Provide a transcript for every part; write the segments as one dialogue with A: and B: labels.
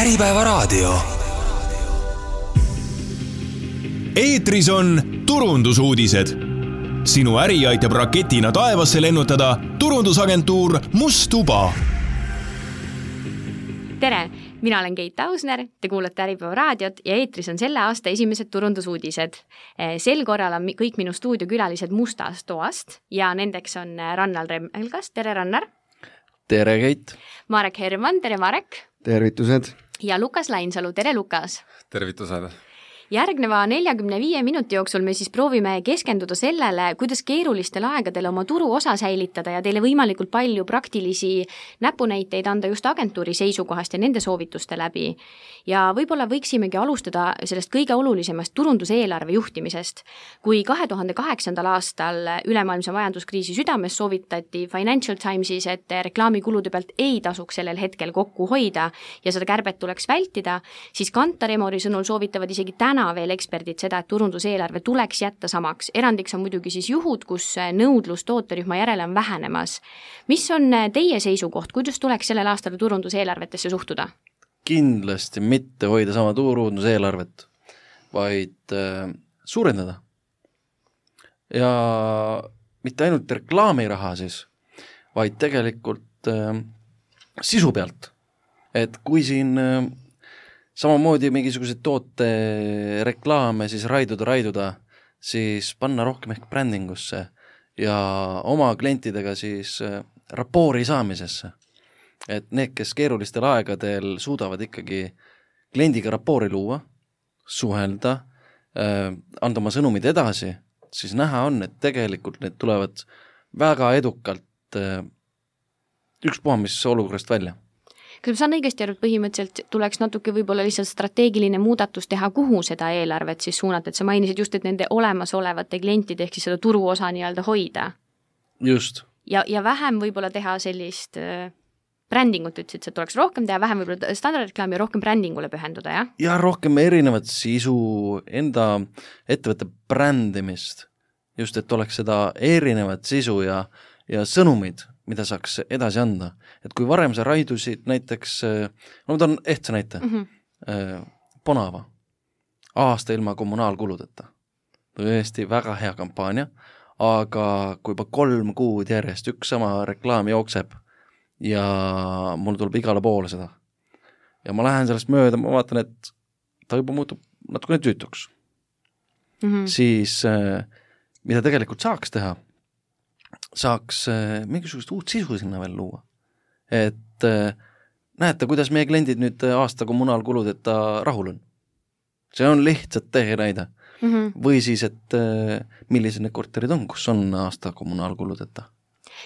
A: Äripäevaraadio. Eetris on turundusuudised. Sinu äri aitab raketina taevasse lennutada turundusagentuur Must Tuba.
B: Tere, mina olen Keit Ausner, te kuulate Äripäevaraadiot ja eetris on selle aasta esimesed turundusuudised. Sel korral on kõik minu stuudiokülalised Mustast toast ja nendeks on Rannar Remmelgas, tere Rannar.
C: Tere Keit.
B: Marek Herman, tere Marek.
D: Tervitused.
B: Ja Lukas Lainsalu, tere Lukas.
E: Tervitused.
B: Järgneva 45 minuti jooksul me siis proovime keskenduda sellele, kuidas keerulistel aegadel oma turu osa säilitada ja teile võimalikult palju praktilisi näpunäiteid anda just agentuuri seisukohast ja nende soovituste läbi. Ja võib-olla võiksimegi alustada sellest kõige olulisemast turunduseelarve juhtimisest. Kui 2008. aastal ülemaailmse majanduskriisi südames soovitati Financial Timesis, et reklaamikulude pealt ei tasuks sellel hetkel kokku hoida ja seda kärbet tuleks vältida, siis Kantar Emori sõnul soovitavad isegi täna veel eksperdid seda, et turunduseelarve tuleks jätta samaks. Erandiks on muidugi siis juhud, kus nõudlus tooterühma järele on vähenemas. Mis on teie seisukoht, kuidas tuleks sellel aastal turunduseelarvetesse suhtuda?
C: Kindlasti mitte hoida sama turunduseelarvet, vaid suurendada. Ja mitte ainult reklaamiraha siis, vaid tegelikult sisu pealt. Et kui siin samamoodi mingisuguseid toote reklaame siis raiduda, siis panna rohkem ehk brändingusse ja oma klientidega siis rapoori saamisesse. Et need, kes keerulistel aegadel suudavad ikkagi kliendiga rapoori luua, suhelda, anda oma sõnumid edasi, siis näha on, et tegelikult need tulevad väga edukalt ükspuha mis olukorrast välja.
B: Kas ma saan õigesti aru, et põhimõtteliselt tuleks natuke võib-olla lihtsalt strateegiline muudatus teha, kuhu seda eelarvet siis suunata, et sa mainisid just, et nende olemasolevate klientide ehk siis seda turuosa nii-öelda hoida?
C: Just.
B: Ja vähem võib-olla teha sellist brändingut, ütlesid, et tuleks rohkem teha, vähem võib-olla standardreklaami ja rohkem brändingule pühenduda, jah?
C: Ja rohkem erinevat sisu, enda ettevõtte brändimist, just et oleks seda erinevat sisu ja sõnumid, mida saaks edasi anda. Et kui varem sa raidusid näiteks, no ma toon ehtsa näite, Ponava, aasta ilma kommunaalkuludeta. Tõesti väga hea kampaania, aga kui juba 3 kuud järjest üks sama reklaam jookseb ja mul tuleb igale poole seda. Ja ma lähen sellest mööda, ma vaatan, et ta juba muutub natukene tüütuks. Siis mida tegelikult saaks teha, saaks mingisugust uut sisu sinna veel luua. Et näete, kuidas meie kliendid nüüd aasta kommunaalkuludeta rahul on. See on lihtsalt tehenäide. Või siis, et millised need korterid on, kus on aasta kommunaalkuludeta.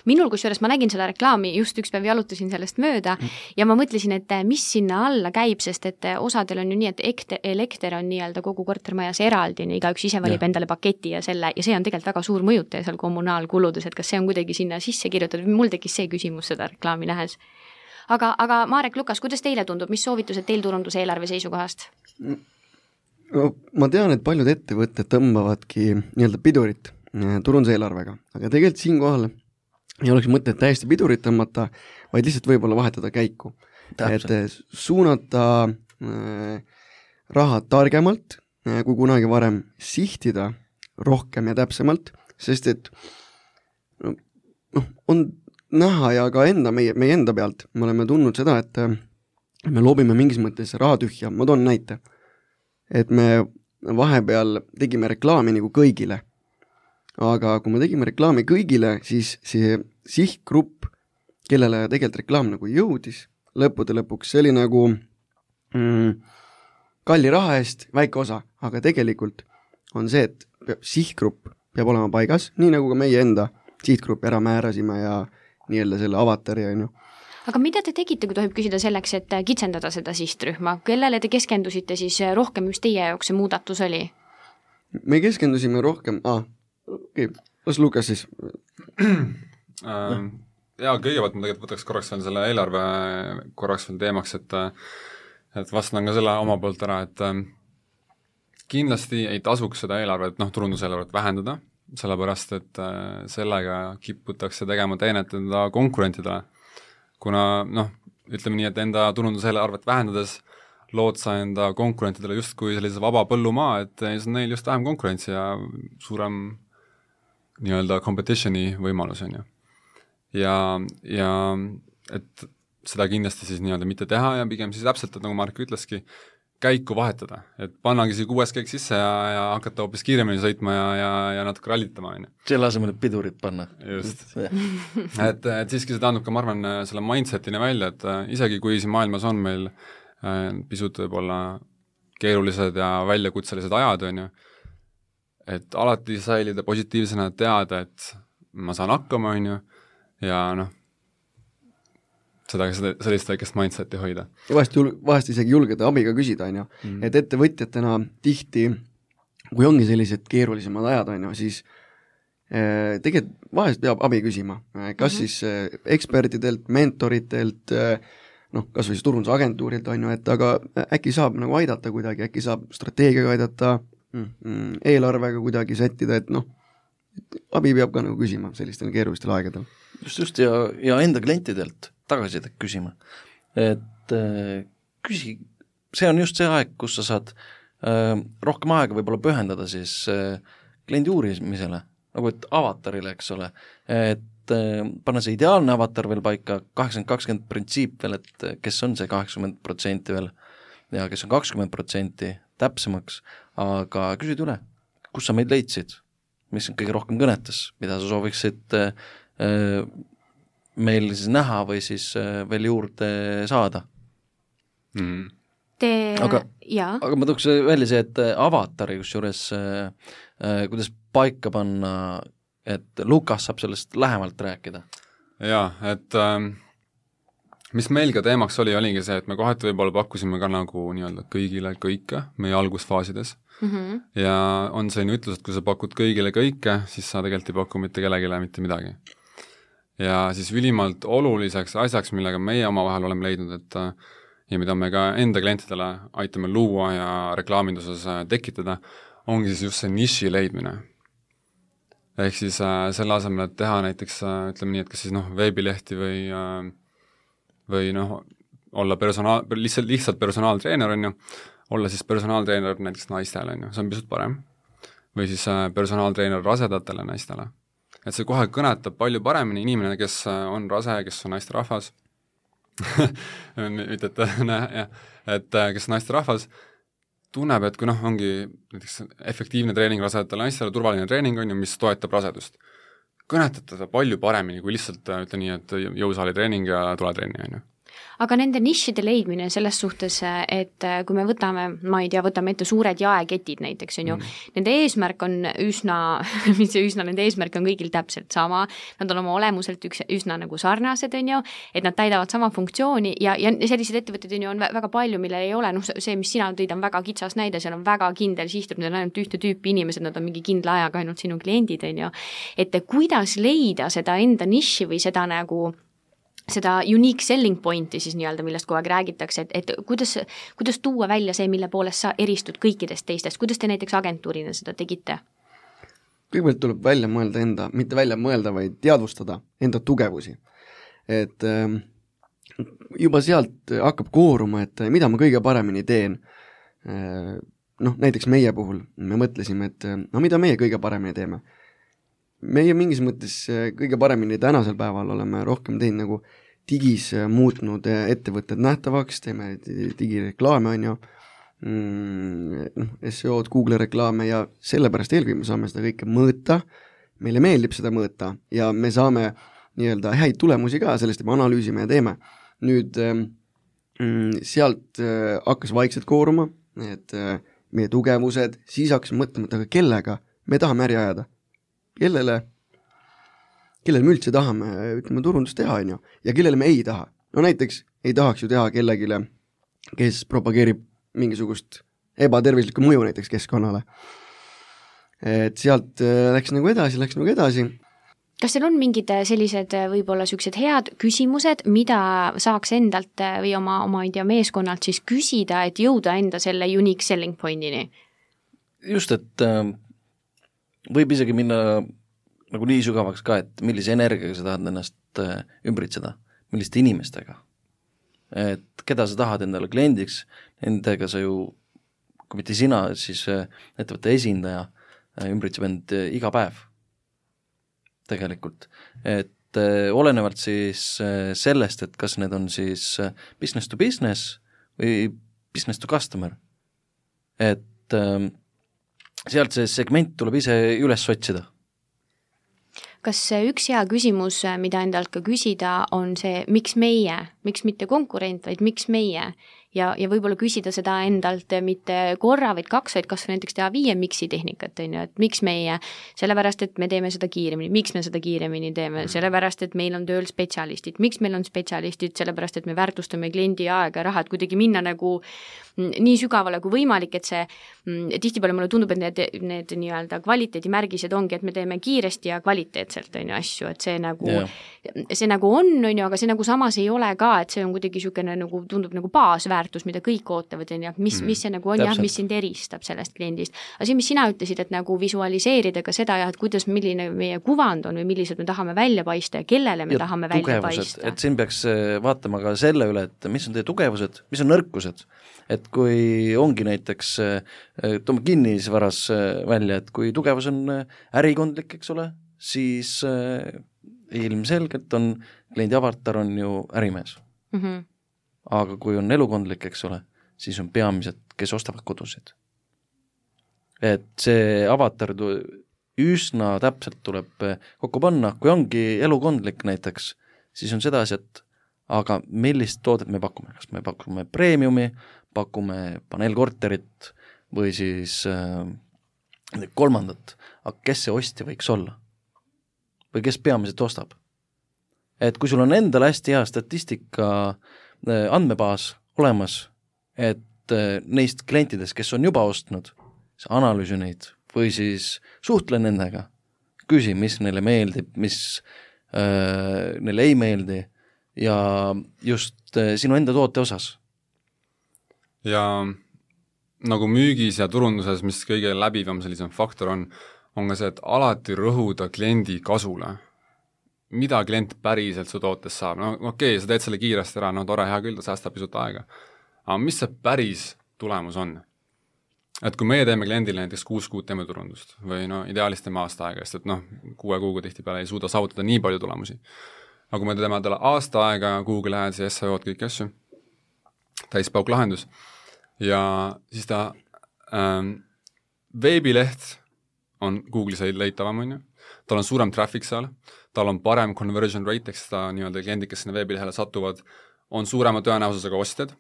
B: Minul kusjuures ma nägin seda reklaami, just üks päev jalutasin sellest mööda ja ma mõtlesin, et mis sinna alla käib, sest et osadel on ju nii, et elekter on nii-öelda kogu kortermajas eraldi, igaüks ise valib endale paketi ja see on tegelikult väga suur mõjutaja seal kommunaalkuludes, et kas see on kuidagi sinna sisse kirjutatud, mul tekkis see küsimus seda reklaami nähes. Aga Marek, Lukas, kuidas teile tundub, mis soovitused teil turunduseelarve seisukohast?
D: No, ma tean, et paljud ettevõtted tõmbavadki nii-öelda pidurit turunduseelarvega, aga tegelikult siinkohal ei oleks mõtet täiesti pidurit tõmmata, vaid lihtsalt võib-olla vahetada käiku.
C: Täpselt.
D: Et suunata raha targemalt, kui kunagi varem sihtida rohkem ja täpsemalt, sest et on näha ja ka meie enda pealt, me oleme tundnud seda, et me loobime mingis mõttes raha tühja. Ma toon näite, et me vahepeal tegime reklaami nagu kõigile. Aga kui me tegime reklaami kõigile, siis see sihtgrupp, kellele tegelikult reklaam nagu jõudis, lõppude lõpuks, see oli nagu kalli raha eest väike osa, aga tegelikult on see, et sihtgrupp peab olema paigas, nii nagu ka meie enda sihtgruppi ära määrasime ja nii-öelda selle avatari on ju.
B: Aga mida te tegite, kui tohib küsida selleks, et kitsendada seda sihtrühma? Kellele te keskendusite siis rohkem, mis teie jaoks see muudatus oli?
D: Me keskendusime rohkem, las Lukas siis.
E: Ja kõigepealt ma tegelikult võtaks korraks veel selle eelarve korraks veel teemaks, et vastan ka selle oma poolt ära, et kindlasti ei tasuks seda eelarvet, turunduseelarvet vähendada, sellepärast, et sellega kiputakse tegema teenet enda konkurentidele, kuna ütleme nii, et enda turunduseelarvet vähendades lood sa enda konkurentidele justkui sellise vaba põllumaa, et siis on neil just vähem konkurentsi ja suurem nii-öelda competitioni võimalus, on ju. Ja et seda kindlasti siis nii-öelda mitte teha ja pigem siis täpselt, et nagu Mark ütleski, käiku vahetada, et pannagi see 6 käik sisse ja hakata hoopis kiiremini sõitma ja natuke rallitama, on ju.
C: Selle asemel pidurit panna.
E: Just. et siiski see tähendab ka, ma arvan, selle mindsetini välja, et isegi kui siin maailmas on meil pisut võib-olla keerulised ja väljakutselised ajad, on ju, et alati säilida positiivsena, teada, et ma saan hakkama, on ju, ja noh, sellist väikest mindseti hoida.
D: Vahest isegi julgeda abiga küsida, on ju. Et ettevõtjatena tihti, kui ongi sellised keerulisemad ajad, on ju, siis tegelikult vahest peab abi küsima. Kas siis ekspertidelt, mentoritelt, kas või siis turundusagentuurilt, on ju, et aga äkki saab nagu aidata kuidagi, äkki saab strateegiaga aidata, eelarvega kuidagi sättida, et abi peab ka nagu küsima sellistel keerulistel aegadel.
C: Just, ja enda klientidelt tagasisidet küsima. Et küsi, see on just see aeg, kus sa saad rohkem aega võib-olla pühendada siis kliendi uurimisele, nagu et avatarile, eks ole, et panna see ideaalne avatar veel paika, 80-20 printsiip veel, et kes on see 80% veel ja kes on 20% täpsemaks, aga küsid üle, kus sa meid leidsid, mis kõige rohkem kõnetas, mida sa sooviksid meil siis näha või siis veel juurde saada. Aga ma tooks välja see, et avatari kusjuures kuidas paika panna, et Lukas saab sellest lähemalt rääkida.
E: Jaa, et mis meil ka teemaks oligi see, et me kohati võib-olla pakkusime ka nagu nii-öelda kõigile kõike meie algusfaasides. Ja on selline ütlus, et kui sa pakud kõigile kõike, siis sa tegelikult ei paku mitte kellegile mitte midagi. Ja siis ülimalt oluliseks asjaks, millega meie omavahel oleme leidnud, et ja mida me ka enda klientidele aitame luua ja reklaaminduses tekitada, ongi siis just see niši leidmine. Ehk siis selle asemel, et teha näiteks, ütleme nii, et kas siis veebilehti või olla lihtsalt personaaltreener, on ju, olla siis personaaltreener näiteks naistele, on ju, see on pisut parem. Või siis personaaltreener rasedatele naistele. Et see kohe kõnetab palju paremini inimene, kes on rase, kes on naisterahvas, et kes on naisterahvas, tunneb, et kui ongi näiteks efektiivne treening rasedatele naistele, turvaline treening on ju, mis toetab rasedust. Kõnetab teda palju paremini, kui lihtsalt ütle nii, et jõusaali treening ja tuletrenni on ju.
B: Aga nende nišide leidmine selles suhtes, et kui me võtame ette suured jaeketid näiteks, on ju, nende eesmärk on nende eesmärk on kõigil täpselt sama, nad on oma olemuselt üsna nagu sarnased, on ju, et nad täidavad sama funktsiooni ja sellised ettevõtted on väga palju, millel ei ole, see, mis sina tõid, on väga kitsas näide, seal on väga kindel sihtrühm, need on ainult ühte tüüpi inimesed, nad on mingi kindla ajaga ainult sinu kliendid, on ju, et kuidas leida seda enda niši või seda nagu seda unique selling pointi siis nii-öelda, millest kogu aeg räägitakse, et kuidas tuua välja see, mille poolest sa eristud kõikidest teistest, kuidas te näiteks agentuurina seda tegite?
D: Kõigepealt tuleb välja mõelda mitte välja mõelda, vaid teadvustada enda tugevusi. Et juba sealt hakkab kooruma, et mida ma kõige paremini teen. Näiteks meie puhul me mõtlesime, et mida meie kõige paremini teeme. Meie mingis mõttes kõige paremini tänasel päeval oleme rohkem teinud nagu digis muutnud ettevõtted nähtavaks, teeme digireklaame, on ju, SEO-d, Google reklaame ja sellepärast eelkõige me saame seda kõike mõõta, meile meeldib seda mõõta ja me saame nii-öelda häid tulemusi ka, sellest me analüüsime ja teeme. Nüüd sealt hakkas vaikselt kooruma, et meie tugevused, siis hakkasime mõtlema, et aga kellega me tahame äri ajada. Kellele me üldse tahame, ütleme, turundust teha, on ju, ja kellele me ei taha. No näiteks ei tahaks ju teha kellegile, kes propageerib mingisugust ebatervislikku mõju näiteks keskkonnale. Et sealt läks nagu edasi.
B: Kas seal on mingid sellised võib-olla sellised head küsimused, mida saaks endalt või oma meeskonnalt siis küsida, et jõuda enda selle unique selling pointini?
C: Just, et võib isegi minna nagu nii sügavaks ka, et millise energiaga sa tahad ennast ümbritseda, milliste inimestega. et keda sa tahad endale kliendiks, nendega sa ju, kui mitte sina, siis ettevõtte esindaja ümbritseb end iga päev tegelikult, et olenevalt siis sellest, et kas need on siis business to business või business to customer, et sealt see segment tuleb ise üles otsida.
B: Kas üks hea küsimus, mida endalt ka küsida, on see, miks meie, miks mitte konkurent, vaid miks meie? Ja võib-olla küsida seda endalt mitte korra, vaid 2, vaid kas näiteks teha 5 miksi tehnikat, et miks meie, sellepärast, et me teeme seda kiiremini, miks me seda kiiremini teeme, sellepärast, et meil on tööl spetsialistid, miks meil on spetsialistid, sellepärast, et me väärtustame kliendi aega ja raha, et kuidagi minna nagu nii sügavale kui võimalik, et see tihtipeale mulle tundub, et need nii-öelda kvaliteedimärgised ongi, et me teeme kiiresti ja kvaliteetselt asju, et see nagu on, aga see nagu samas ei ole ka, et see on kuidagi niisugune nagu tundub nagu baasväärtus, mida kõik ootavad, mis see nagu on, mis sind eristab sellest kliendist. Aga see, mis sina ütlesid, et nagu visualiseerida ka seda, et kuidas, milline meie kuvand on või millised me tahame välja paista ja kellele me tahame välja paista.
C: Et siin peaks vaatama ka selle üle, et mis on teie tugevused, mis on nõrkused. Et kui ongi näiteks, toome kinnisvaras välja, et kui tugevus on ärikondlik, eks ole, siis ilmselgelt on kliendi avatar on ju ärimees. Aga kui on elukondlik, eks ole, siis on peamised, kes ostavad kodusid. Et see avatar üsna täpselt tuleb kokku panna, kui ongi elukondlik näiteks, siis on sedasi, et aga millist toodet me pakume, kas me pakume premiumi, pakume paneelkorterit või siis kolmandat, aga kes see ostja võiks olla? Või kes peamiselt ostab? Et kui sul on endal hästi hea statistika andmebaas olemas, et neist klientidest, kes on juba ostnud, analüüsi neid või siis suhtle nendega, küsi, mis neile meeldib, mis neile ei meeldi ja just sinu enda toote osas.
E: Ja nagu müügis ja turunduses, mis kõige läbivam sellisem faktor on ka see, et alati rõhuda kliendi kasule. Mida klient päriselt su tootes saab? No okei, sa teed selle kiiresti ära, no tore, hea küll, ta säästab pisut aega. Aga mis see päris tulemus on? Et kui meie teeme kliendile näiteks 6 kuud teeme turundust või ideaalist teeme aasta aega, sest et 6 kuuga tihtipeale ei suuda saavutada nii palju tulemusi. Aga kui me teeme talle aasta aega Google Ads ja SEO-d kõik asju, täispauk lahendus, ja siis ta veebileht on Google'is leitavam, tal on suurem traffic seal, tal on parem conversion rate, eks ta nii-öelda kliendid, kes sinna veebilehele satuvad, on suurema tõenäosusega ostjad,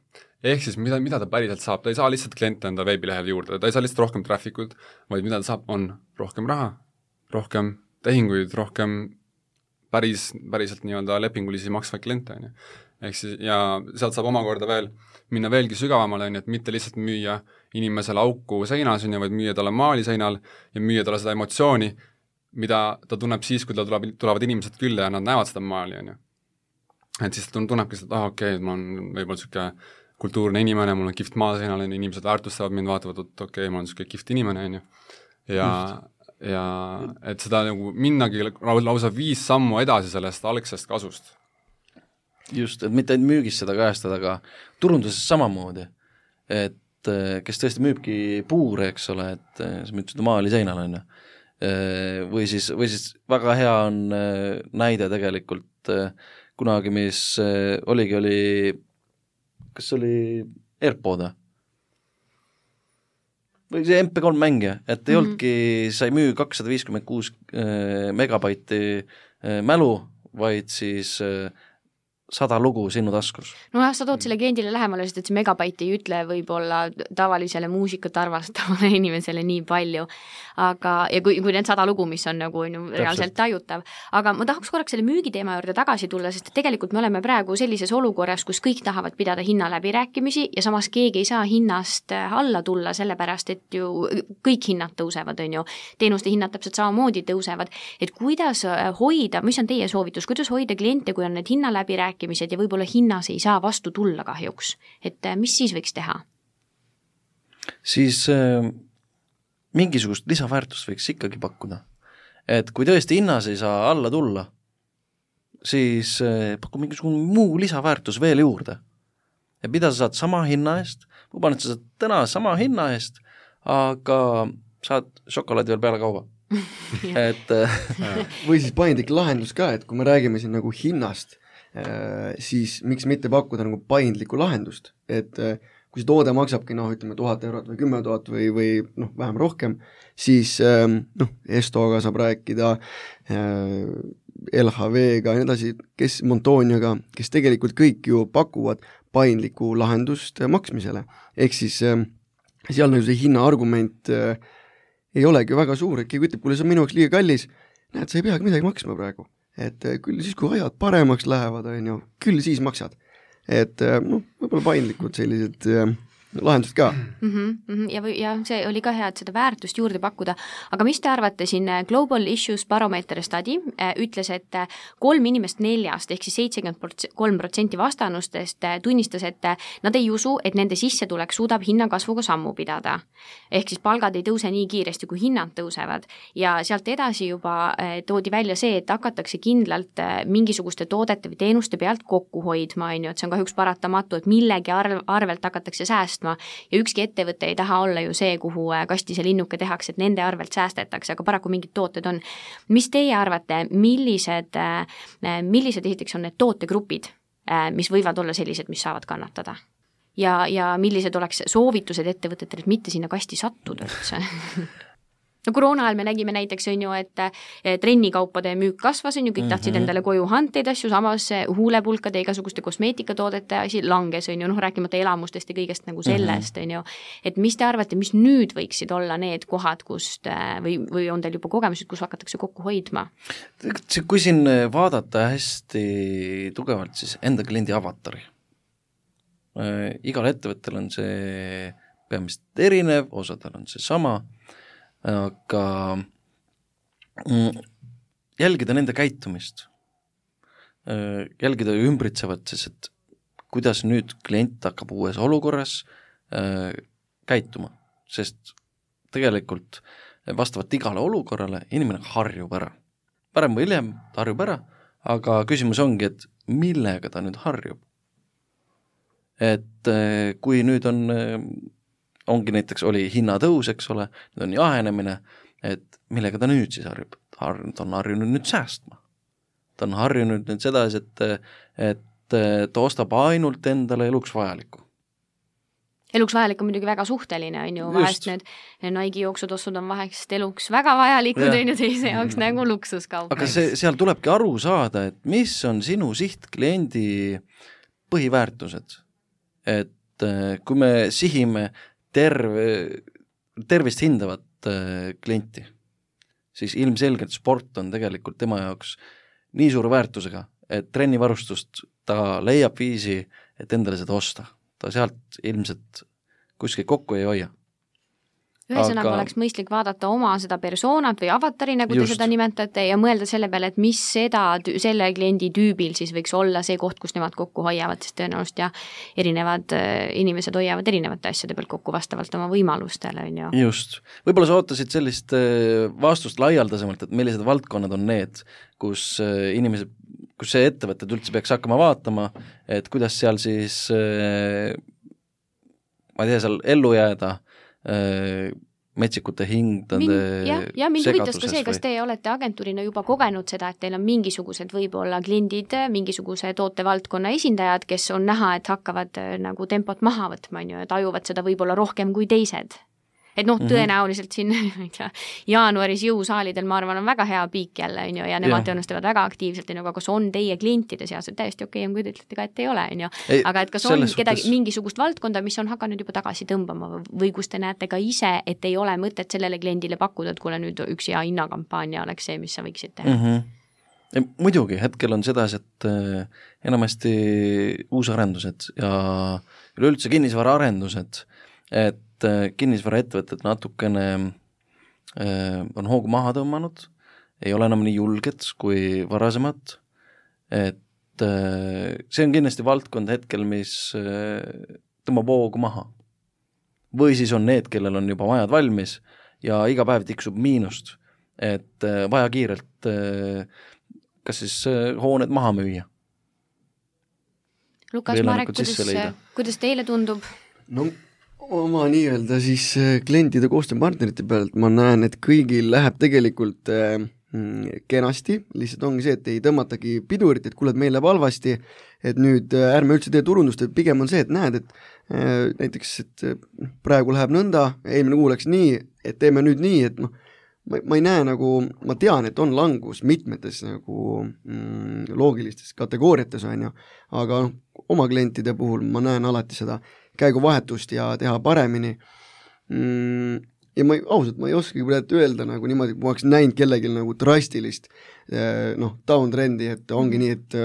E: ehk siis mida ta päriselt saab, ta ei saa lihtsalt kliente enda veebilehele juurde, ta ei saa lihtsalt rohkem trafficud, vaid mida ta saab, on rohkem raha, rohkem tehinguid, rohkem päriselt nii-öelda lepingulisi maksvaid kliente, ehk siis, ja sealt saab omakorda veel minna veelgi sügavamale, et mitte lihtsalt müüa inimesele auku seinas, vaid müüa talle maali seinal ja müüa talle seda emotsiooni, mida ta tunneb siis, kui tulevad inimesed külla ja nad näevad seda maali, Et siis ta tunnebki seda, okei, ma olen võib-olla niisugune kultuurne inimene, mul on kihvt maa seinal, inimesed väärtustavad mind, vaatavad, et okei, ma olen niisugune kihvt inimene, ja et seda nagu minnagi lausa 5 sammu edasi sellest algsest kasust.
C: Just, et mitte ainult müügis seda kajastada, aga turunduses samamoodi, et kes tõesti müübki puure, eks ole, et sa müüd seda maali seinal, või siis väga hea on näide tegelikult kunagi, mis oli, kas oli AirPod või see MP3 mängija, et ei olnudki, sa ei müü 256 megabaiti mälu, vaid siis 100 lugu sinu taskus.
B: No jah, sa tood selle kliendile lähemale, sest et see megabaiti ei ütle võib-olla tavalisele muusikat arvastavale inimesele nii palju, aga ja kui need 100 lugu, mis on nagu reaalselt tajutav. Aga ma tahaks korraks selle müügiteema juurde tagasi tulla, sest tegelikult me oleme praegu sellises olukorras, kus kõik tahavad pidada hinna läbirääkimisi ja samas keegi ei saa hinnast alla tulla, sellepärast et ju kõik hinnad tõusevad, teenuste hinnad täpselt samamoodi tõusevad. Et kuidas hoida, mis on teie soovitus, kuidas hoida kliente, kui on need hinna läbirääkimised ja võib-olla hinnas ei saa vastu tulla kahjuks, et mis siis võiks teha?
C: Siis mingisugust lisaväärtust võiks ikkagi pakkuda. Et kui tõesti hinnas ei saa alla tulla, siis paku mingisugune muu lisaväärtus veel juurde. et mida sa saad sama hinna eest, ma luban, et sa saad täna sama hinna eest, aga saad šokolaadi veel peale kauba. et
D: või siis paindlik lahendus ka, et kui me räägime siin nagu hinnast, siis miks mitte pakkuda nagu paindlikku lahendust, et kui see toode maksabki ütleme 1000 eurot või 10 000 või vähem rohkem, siis Estoga saab rääkida, LHV-ga ja nii edasi, kes Montoniaga, kes tegelikult kõik ju pakuvad paindlikku lahendust maksmisele. Ehk siis seal nagu see hinna argument ei olegi väga suur, et keegi ütleb, kuule, see on minu jaoks liiga kallis, näed, sa ei peagi midagi maksma praegu. Et küll siis, kui ajad paremaks lähevad, küll siis maksad. Et võib-olla paindlikud sellised lahendused ka.
B: Ja see oli ka hea, et seda väärtust juurde pakkuda. Aga mis te arvate, siin Global Issues Barometer study ütles, et 3 inimest 4 ehk siis 73% vastanustest tunnistas, et nad ei usu, et nende sissetulek suudab hinnakasvuga sammu pidada. Ehk siis palgad ei tõuse nii kiiresti, kui hinnad tõusevad. Ja sealt edasi juba toodi välja see, et hakatakse kindlalt mingisuguste toodete või teenuste pealt kokku hoidma, et see on kahjuks paratamatu, et millegi arvelt hakatakse säästma. Ja ükski ettevõte ei taha olla ju see, kuhu kasti see linnuke tehakse, et nende arvelt säästetakse, aga paraku mingid tooted on. Mis teie arvate, millised esiteks on need tootegrupid, mis võivad olla sellised, mis saavad kannatada? Ja millised oleks soovitused ettevõtetele, et mitte sinna kasti sattuda üldse? No koroona ajal me nägime näiteks, et trennikaupade müük kasvas, kõik tahtsid endale koju hanteid asju, samas huulepulkade igasuguste kosmeetikatoodete asi langes, rääkimata elamustest ja kõigest nagu sellest, et mis te arvate, mis nüüd võiksid olla need kohad, kust või on teil juba kogemused, kus hakatakse kokku hoidma?
C: Kui siin vaadata hästi tugevalt, siis enda kliendi avatari. Igal ettevõttel on see peamiselt erinev, osadel on see sama, aga jälgida nende käitumist, jälgida ümbritsevat, siis et kuidas nüüd klient hakkab uues olukorras käituma, sest tegelikult vastavalt igale olukorrale inimene harjub ära. Parem või hiljem ta harjub ära, aga küsimus ongi, et millega ta nüüd harjub. Et kui nüüd ongi näiteks, oli hinnatõus, eks ole, nüüd on jahenemine, et millega ta nüüd siis harjub? Ta on harjunud nüüd säästma. Ta on harjunud nüüd sedasi, et ta ostab ainult endale eluks vajalikku.
B: Eluks vajalik on muidugi väga suhteline, vahest need Nike jooksutossud on vahest eluks väga vajalikud, teise jaoks nagu luksuskaup.
C: Aga seal tulebki aru saada, et mis on sinu sihtkliendi põhiväärtused. Et kui me sihime tervist hindavat klienti, siis ilmselgelt sport on tegelikult tema jaoks nii suure väärtusega, et trennivarustust ta leiab viisi, et endale seda osta. Ta sealt ilmselt kuskil kokku ei hoia.
B: Ühesõnaga oleks mõistlik vaadata oma seda persoonat või avatari, nagu te seda nimetate, ja mõelda selle peale, et mis selle kliendi tüübil siis võiks olla see koht, kus nemad kokku hoiavad, sest tõenäoliselt erinevad inimesed hoiavad erinevate asjade pealt kokku vastavalt oma võimalustele.
C: Just. Võib-olla sa ootasid sellist vastust laialdasemalt, et millised valdkonnad on need, kus inimesed, kus see ettevõtted üldse peaks hakkama vaatama, et kuidas seal siis ma ei tea, seal ellu jääda, metsikute hingdade
B: ja mind huvitas ka see, kas te olete agentuurina juba kogenud seda, et teil on mingisugused võib-olla kliendid, mingisuguse tootevaldkonna esindajad, kes on näha, et hakkavad nagu tempot maha võtma, ja tajuvad seda võib-olla rohkem kui teised. Et tõenäoliselt siin jaanuaris jõusaalidel, ma arvan, on väga hea piik jälle, ja nemad tõenustavad väga aktiivselt, aga kas on teie klientide seas, et täiesti okei, kui te ütlete ka, et ei ole, aga et kas on mingisugust valdkonda, mis on hakanud juba tagasi tõmbama või kus te näete ka ise, et ei ole mõtet sellele kliendile pakkuda, et kuule nüüd üks hea hinnakampaania oleks see, mis sa võiksid teha?
C: Muidugi, hetkel on sedasi, et enamasti uusarendused ja üleüldse kinnisvaraarendused, et kinnisvaraettevõtted natukene on hoogu maha tõmmanud, ei ole enam nii julged kui varasemad, et see on kindlasti valdkond hetkel, mis tõmbab hoogu maha. Või siis on need, kellel on juba majad valmis ja iga päev tiksub miinust, et vaja kiirelt kas siis hooned maha müüa.
B: Lukas Marek, kuidas teile tundub?
D: No oma nii-öelda siis klientide koostööpartnerite pealt ma näen, et kõigil läheb tegelikult kenasti, lihtsalt ongi see, et ei tõmmatagi pidurit, et kuule, et meil läheb halvasti, et nüüd ärme üldse tee turundust, et pigem on see, et näed, et näiteks, et praegu läheb nõnda, eelmine kuu läks nii, et teeme nüüd nii, et noh, ma ei näe nagu, ma tean, et on langus mitmetes nagu loogilistes kategooriates, on ju, aga oma klientide puhul ma näen alati seda käiguvahetust ja teha paremini. Ja ausalt, ma ei oskagi praegu öelda nagu niimoodi, kui ma oleks näinud kellelgi nagu drastilist down-trendi, et ongi nii, et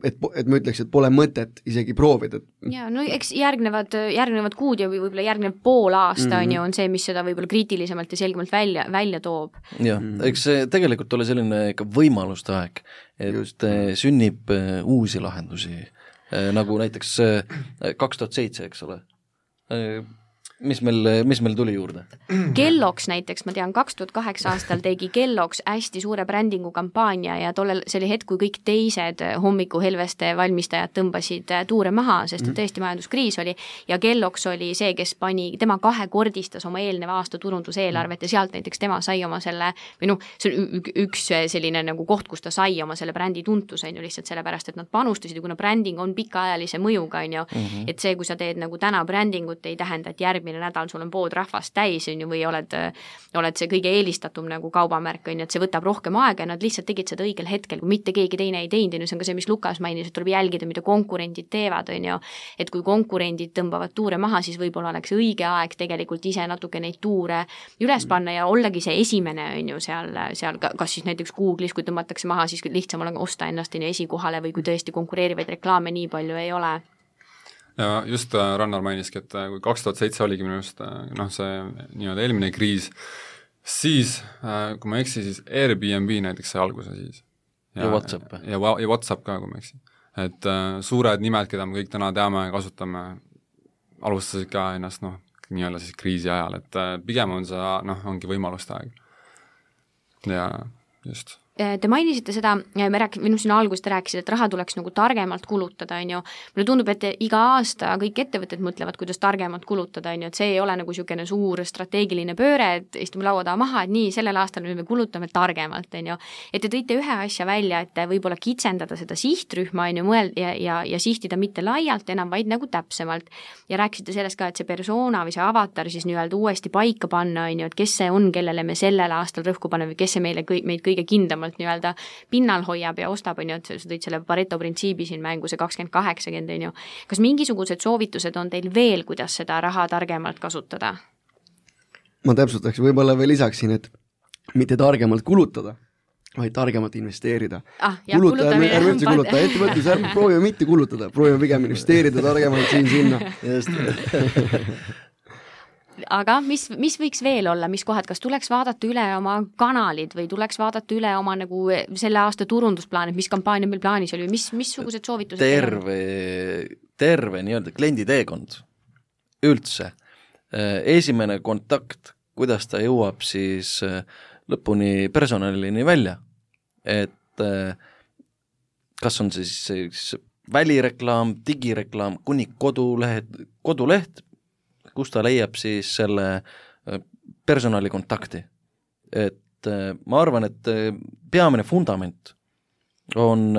D: et ma ütleks, et pole mõtet isegi proovida.
B: Ja, no eks järgnevad kuud ja võib-olla järgnev pool aasta on see, mis seda võib-olla kriitilisemalt ja selgemalt välja toob.
C: Jah, eks see tegelikult ole selline ikka võimaluste aeg, et sünnib uusi lahendusi, nagu näiteks 2007, eks ole. Mis meil tuli juurde?
B: Kelloks näiteks, ma tean, 2008 aastal tegi Kelloks hästi suure brändingu kampaania ja tollel see oli hetk, kui kõik teised hommikuhelveste valmistajad tõmbasid tuure maha, sest tõesti majanduskriis oli ja Kelloks oli see, kes tema kahekordistas oma eelneva aasta turunduseelarvet ja sealt näiteks tema sai oma selle, või see on üks selline nagu koht, kus ta sai oma selle brändi tuntus, on ju, lihtsalt sellepärast, et nad panustasid, kuna bränding on pikaajalise mõjuga, on ju, et see, kui sa teed nagu täna brändingut, ei tähenda, et järgmine nädal sul on pood rahvast täis, on ju, või oled see kõige eelistatum nagu kaubamärk, on ju, et see võtab rohkem aega ja nad lihtsalt tegid seda õigel hetkel, kui mitte keegi teine ei teinud, see on ka see, mis Lukas mainis, et tuleb jälgida, mida konkurendid teevad, on ju, et kui konkurendid tõmbavad tuure maha, siis võib-olla oleks õige aeg tegelikult ise natuke neid tuure üles panna ja ollagi see esimene, on ju, seal kas siis näiteks Google'is, kui tõmmatakse maha, siis lihtsam on osta ennast esikohale või kui tõesti konkureerivaid reklaame nii palju ei ole.
E: Ja just Rannar mainiski, et kui 2007 oligi minu just see nii-öelda eelmine kriis, siis, kui ma eksi, siis Airbnb näiteks see alguse siis.
C: Ja WhatsApp.
E: Ja WhatsApp ka, kui ma eksi. Et suured nimed, keda me kõik täna teame ja kasutame, alustasid ka ennast nii-öelda siis kriisi ajal, et pigem on see, ongi võimaluste aeg. Ja just.
B: Te mainisite seda, siin alguses te rääkisite, et raha tuleks nagu targemalt kulutada, on ju. Mulle tundub, et iga aasta kõik ettevõtted mõtlevad, kuidas targemalt kulutada, on ju, et see ei ole nagu niisugune suur strateegiline pööre, et istume laua taha maha, et nii, sellel aastal me kulutame targemalt, on ju. Et te tõite ühe asja välja, et võib-olla kitsendada seda sihtrühma, on ju, ja sihtida mitte laialt enam, vaid nagu täpsemalt. Ja rääkisite sellest ka, et see persona või see avatar siis nii-öelda uuesti paika panna, on ju, et kes see on, kellele me sellel aastal rõhku paneme või kes see meid kõige kindlamalt nii-öelda pinnal hoiab ja ostab, on ju, et sa tõid selle Pareto printsiibi siin mängu, see 20-80, on ju. Kas mingisugused soovitused on teil veel, kuidas seda raha targemalt kasutada?
D: Ma täpsustaks, võib-olla veel lisaksin, et mitte targemalt kulutada, vaid targemalt investeerida. Ärme üldse kuluta, ettevõtlus, ärme proovime mitte kulutada, proovime pigem investeerida targemalt siin-sinna.
B: Aga mis võiks veel olla, mis kohad, kas tuleks vaadata üle oma kanalid või tuleks vaadata üle oma nagu selle aasta turundusplaan, et mis kampaania meil plaanis oli või missugused soovitused?
C: Terve nii-öelda klienditeekond üldse. Esimene kontakt, kuidas ta jõuab siis lõpuni personalini välja, et kas on siis välireklaam, digireklaam, kuni koduleht, kus ta leiab siis selle personali kontakti. Et ma arvan, et peamine fundament on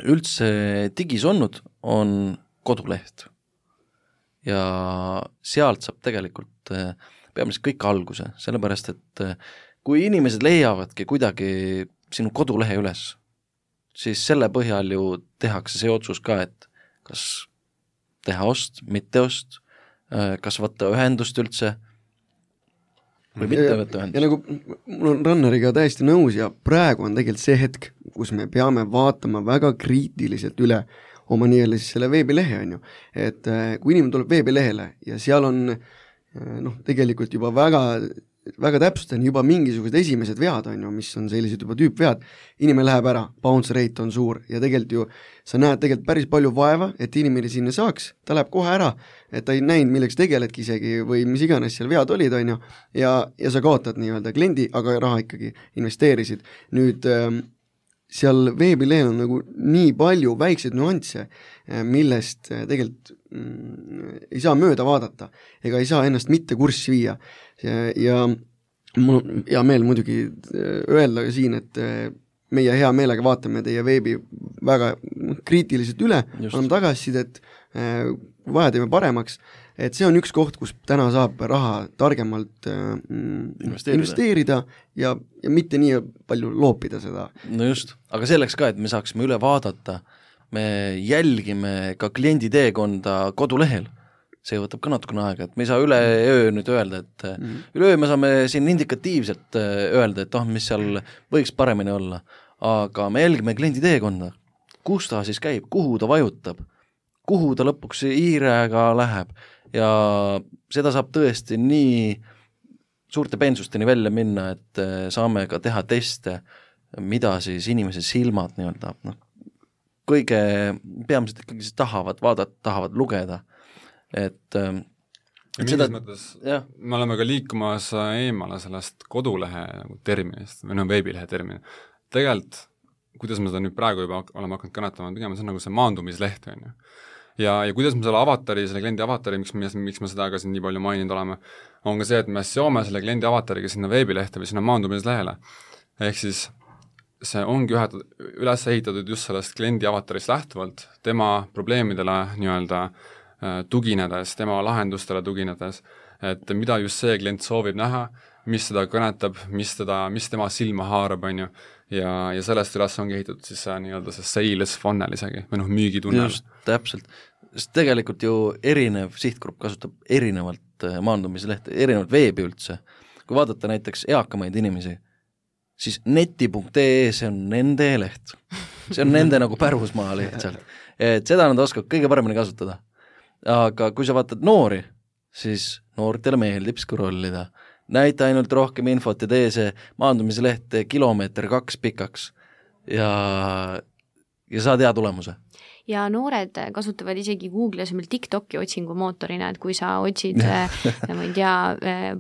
C: üldse digis olnud, on koduleht. Ja sealt saab tegelikult peamiselt kõik alguse, sellepärast, et kui inimesed leiavadki kuidagi sinu kodulehe üles, siis selle põhjal ju tehakse see otsus ka, et kas teha ost, mitte ost, kas võtta ühendust üldse või mitte võtta ühendust.
D: Ja nagu mul on Ranneriga täiesti nõus ja praegu on tegelikult see hetk, kus me peame vaatama väga kriitiliselt üle oma nii-öelda siis selle veebilehe, on ju. Et kui inimene tuleb veebilehele ja seal on tegelikult juba väga täpselt on juba mingisugused esimesed vead, on ju, mis on sellised juba tüüpvead, inimene läheb ära, bounce rate on suur ja tegelikult ju sa näed tegelikult päris palju vaeva, et inimene sinna saaks, ta läheb kohe ära, et ta ei näinud, milleks tegeledki isegi või mis iganes seal vead olid, on ju, ja sa kaotad nii-öelda kliendi, aga raha ikkagi investeerisid. Nüüd seal veebilehel on nagu nii palju väikseid nüansse, millest tegelikult ei saa mööda vaadata ega ei saa ennast mitte kurssi viia. Ja mul on hea meel muidugi öelda siin, et meie hea meelega vaatame teie veebi väga kriitiliselt üle, anname tagasisidet, vaja teeme paremaks, et see on üks koht, kus täna saab raha targemalt investeerida ja mitte nii palju loopida seda.
C: No just, aga selleks ka, et me saaksime üle vaadata, me jälgime ka kliendi teekonda kodulehel. See võtab ka natukene aega, et me ei saa üleöö nüüd öelda, et üleöö me saame siin indikatiivselt öelda, et mis seal võiks paremini olla, aga me jälgime kliendi teekonda, kus ta siis käib, kuhu ta vajutab, kuhu ta lõpuks hiirega läheb ja seda saab tõesti nii suurte peensusteni välja minna, et saame ka teha teste, mida siis inimese silmad nii-öelda, kõige peamiselt ikkagi tahavad vaadata, tahavad lugeda. Et
E: seda, mõttes me oleme ka liikumas eemale sellest kodulehe terminist või veebilehe termini. Tegelikult, kuidas me seda nüüd praegu juba oleme hakanud kõnetama, pigem see on nagu see maandumisleht, on ju. Ja kuidas me selle avatari, selle kliendi avatari, miks me seda ka siin nii palju maininud oleme, on ka see, et me seome selle kliendi avatariga sinna veebilehte või sinna maandumislehele. Ehk siis see ongi üles ehitatud just sellest kliendi avatarist lähtuvalt, tema probleemidele nii-öelda tuginedes, tema lahendustele tuginedes, et mida just see klient soovib näha, mis seda kõnetab, mis tema silma haarab, on ju, ja sellest üles ongi ehitatud siis nii-öelda see sales funnel isegi, või müügitunnel.
C: Just, täpselt. Sest tegelikult ju erinev sihtgrupp kasutab erinevalt maandumislehte, erinevalt veebi üldse. Kui vaadata näiteks eakamaid inimesi, siis neti.ee see on nende leht. See on nende nagu pärusmaa lihtsalt. Et seda nad oskavad kõige paremini kasutada. Aga kui sa vaatad noori, siis noortele meeldib scrollida. Näita ainult rohkem infot ja tee see maandumisleht kilomeeter 2 pikaks ja saad hea tulemuse.
B: Ja noored kasutavad isegi Google asemel TikToki otsingumootorina, et kui sa otsid ma ei tea,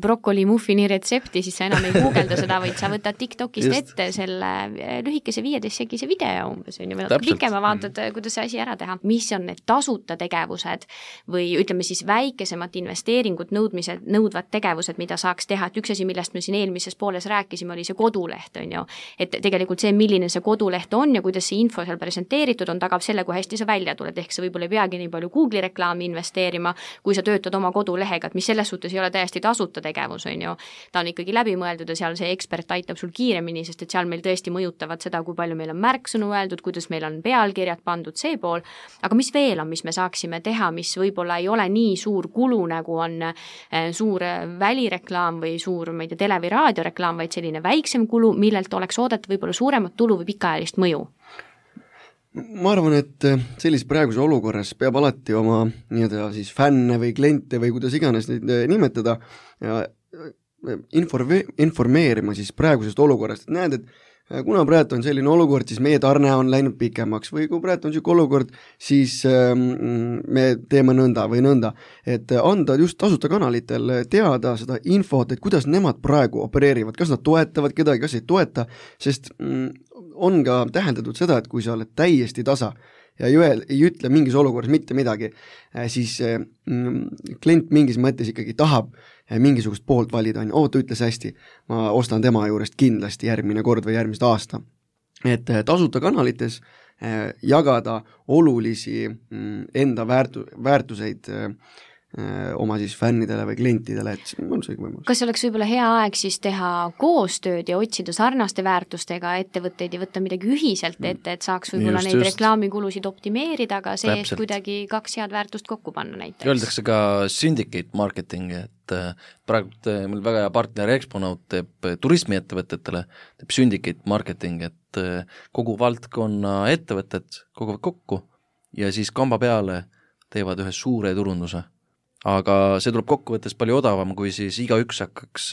B: brokkoli muffini retsepti, siis sa enam ei googelda seda, vaid sa võtad TikTokist ette selle lühikese 15-sekise video umbes, või pikema vaatad, kuidas see asi ära teha. Mis on need tasuta tegevused või ütleme siis väikesemat investeeringut nõudvad tegevused, mida saaks teha, et üks asi, millest me siin eelmises pooles rääkisime, oli see koduleht, on ju. Et tegelikult see, milline see koduleht on ja kuidas see info seal presenteeritud on, tagab selle, kui hästi sa välja tuled, ehk sa võib-olla ei peagi nii palju Google'i reklaami investeerima, kui sa töötad oma kodulehega, et mis selles suhtes ei ole täiesti tasuta tegevus, on ju. Ta on ikkagi läbimõeldud ja seal see ekspert aitab sul kiiremini, sest et seal meil tõesti mõjutavad seda, kui palju meil on märksõnu öeldud, kuidas meil on pealkirjad pandud see pool, aga mis veel on, mis me saaksime teha, mis võib-olla ei ole nii suur kulu, nagu on suur välireklaam või suur, ma ei tea, tele- või raadioreklaam, vaid selline väiksem kulu, millelt oleks oodata võib-olla suuremat tulu või pikaajalist mõju?
D: Ma arvan, et sellises praeguse olukorras peab alati oma nii-öelda siis fänne või kliente või kuidas iganes neid nimetada ja informeerima siis praegusest olukorrast, et näed, et kuna praegu on selline olukord, siis meie tarne on läinud pikemaks või kui praegu on selline olukord, siis me teeme nõnda või nõnda, et anda just tasuta kanalitel teada seda infot, et kuidas nemad praegu opereerivad, kas nad toetavad kedagi, kas ei toeta, sest on ka tähendatud seda, et kui sa oled täiesti tasa ja ei ütle mingis olukorras mitte midagi, siis klient mingis mõttes ikkagi tahab mingisugust poolt valida, ta ütles hästi, ma ostan tema juurest kindlasti järgmine kord või järgmist aasta. Et tasuta kanalites jagada olulisi enda väärtuseid oma siis fännidele või klientidele, et on see võimalus.
B: Kas oleks võib-olla hea aeg siis teha koostööd ja otsida sarnaste väärtustega ettevõtteid ja võtta midagi ühiselt ette, et saaks võib-olla neid reklaamikulusid optimeerida, aga see kuidagi 2 head väärtust kokku panna näiteks?
C: Öeldakse ka syndicate marketing, et praegu meil väga hea partner Exponaut teeb turismiettevõtetele, teeb syndicate marketing, et kogu valdkonna ettevõtted koguvad kokku ja siis kamba peale teevad ühe suure turunduse. Aga see tuleb kokkuvõttes palju odavam, kui siis igaüks hakkaks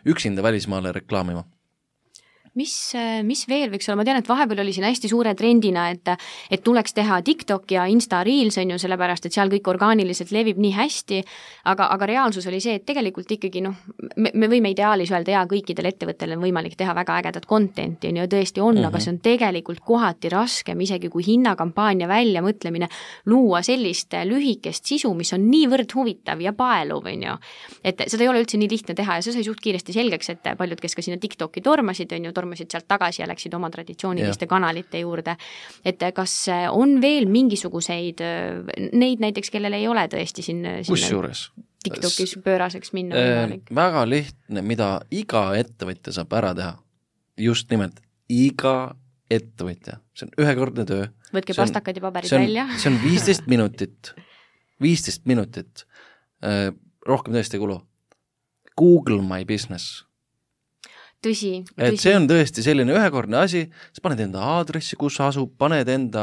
C: üksinda välismaale reklaamima.
B: mis veel võiks olla, ma tean, et vahepeal oli siin hästi suure trendina, et tuleks teha TikTok ja Insta Reels, on ju, sellepärast, et seal kõik orgaaniliselt levib nii hästi, aga reaalsus oli see, et tegelikult ikkagi me võime ideaalis öelda, ja kõikidel ettevõttel on võimalik teha väga ägedat contenti, on ju, tõesti on, aga see on tegelikult kohati raskem, isegi kui hinnakampaania välja mõtlemine, luua sellist lühikest sisu, mis on niivõrd huvitav ja paeluv, on ju, et seda ei ole üldse nii lihtne teha ja see sai suht kiiresti selgeks, et paljud, kes ka sinna TikToki tormasid, on ju, tormasid sealt tagasi ja läksid oma traditsiooniliste kanalite juurde. Et kas on veel mingisuguseid neid näiteks, kellel ei ole tõesti sinna TikTokis pööraseks minna võimalik?
C: Väga lihtne, mida iga ettevõtja saab ära teha. Just nimelt, iga ettevõtja. See on ühekordne töö.
B: Võtke pastakad ja paberid välja.
C: See on 15 minutit. 15 minutit. Rohkem tõesti kulu. Google My Business.
B: Tõsi.
C: Et see on tõesti selline ühekordne asi, sa paned enda aadressi, kus asub, paned enda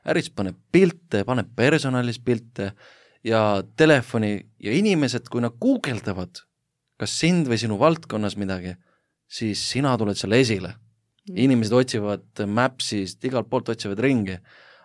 C: äris, paned pilte, paned personalis pilte ja telefoni ja inimesed, kui nad guugeldavad kas sind või sinu valdkonnas midagi, siis sina tuled selle esile. Inimesed otsivad Mapsist, igalt poolt otsivad ringi,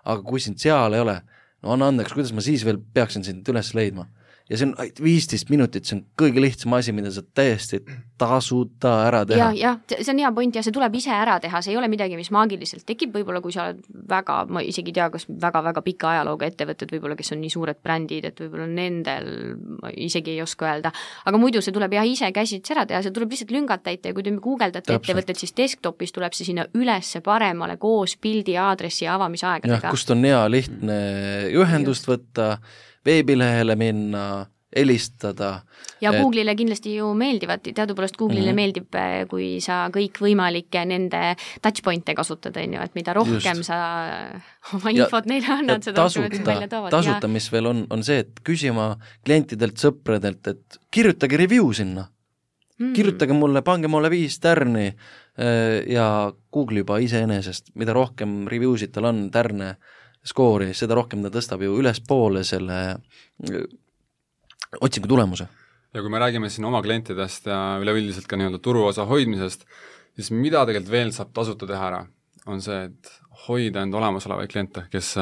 C: aga kui sind seal ei ole, no anna andeks, kuidas ma siis veel peaksin sind üles leidma? Ja see on 15 minutit, see on kõige lihtsam asi, mida sa täiesti tasuta ära teha.
B: Ja, see on hea point ja see tuleb ise ära teha, see ei ole midagi, mis maagiliselt tekib, võib-olla kui sa oled väga, ma isegi tea, kas väga pika ajalooga ettevõtted, võib-olla kes on nii suured brändid, et võib-olla nendel ma isegi ei oska öelda, aga muidu see tuleb ise käsits ära teha, see tuleb lihtsalt lüngad täita ja kui te guugeldate ettevõtted, siis desktopis tuleb see sinna ülesse paremale koos pildi, aadressi ja avamisaegadega.
C: Ja, kust on hea lihtne ühendust võtta, veebilehele minna, helistada.
B: Ja Google'ile kindlasti ju meeldivad, teadupoolest Google'ile meeldib, kui sa kõik võimalikke nende touchpointe kasutad, et mida rohkem sa oma infot neile annad, seda rohkem välja toovad.
C: Tasuta, mis veel on see, et küsima klientidelt, sõpradelt, et kirjutage review sinna. Kirjutage mulle, pange mulle 5 tärni ja Google juba iseenesest, mida rohkem reviewsid tal on tärne skoori, seda rohkem ta tõstab ju ülespoole selle otsingu tulemuse.
E: Ja kui me räägime siin oma klientidest ja üleüldiselt ka nii-öelda turuosa hoidmisest, siis mida tegelikult veel saab tasuta teha ära, on see, et hoida enda olemasolevaid kliente, kes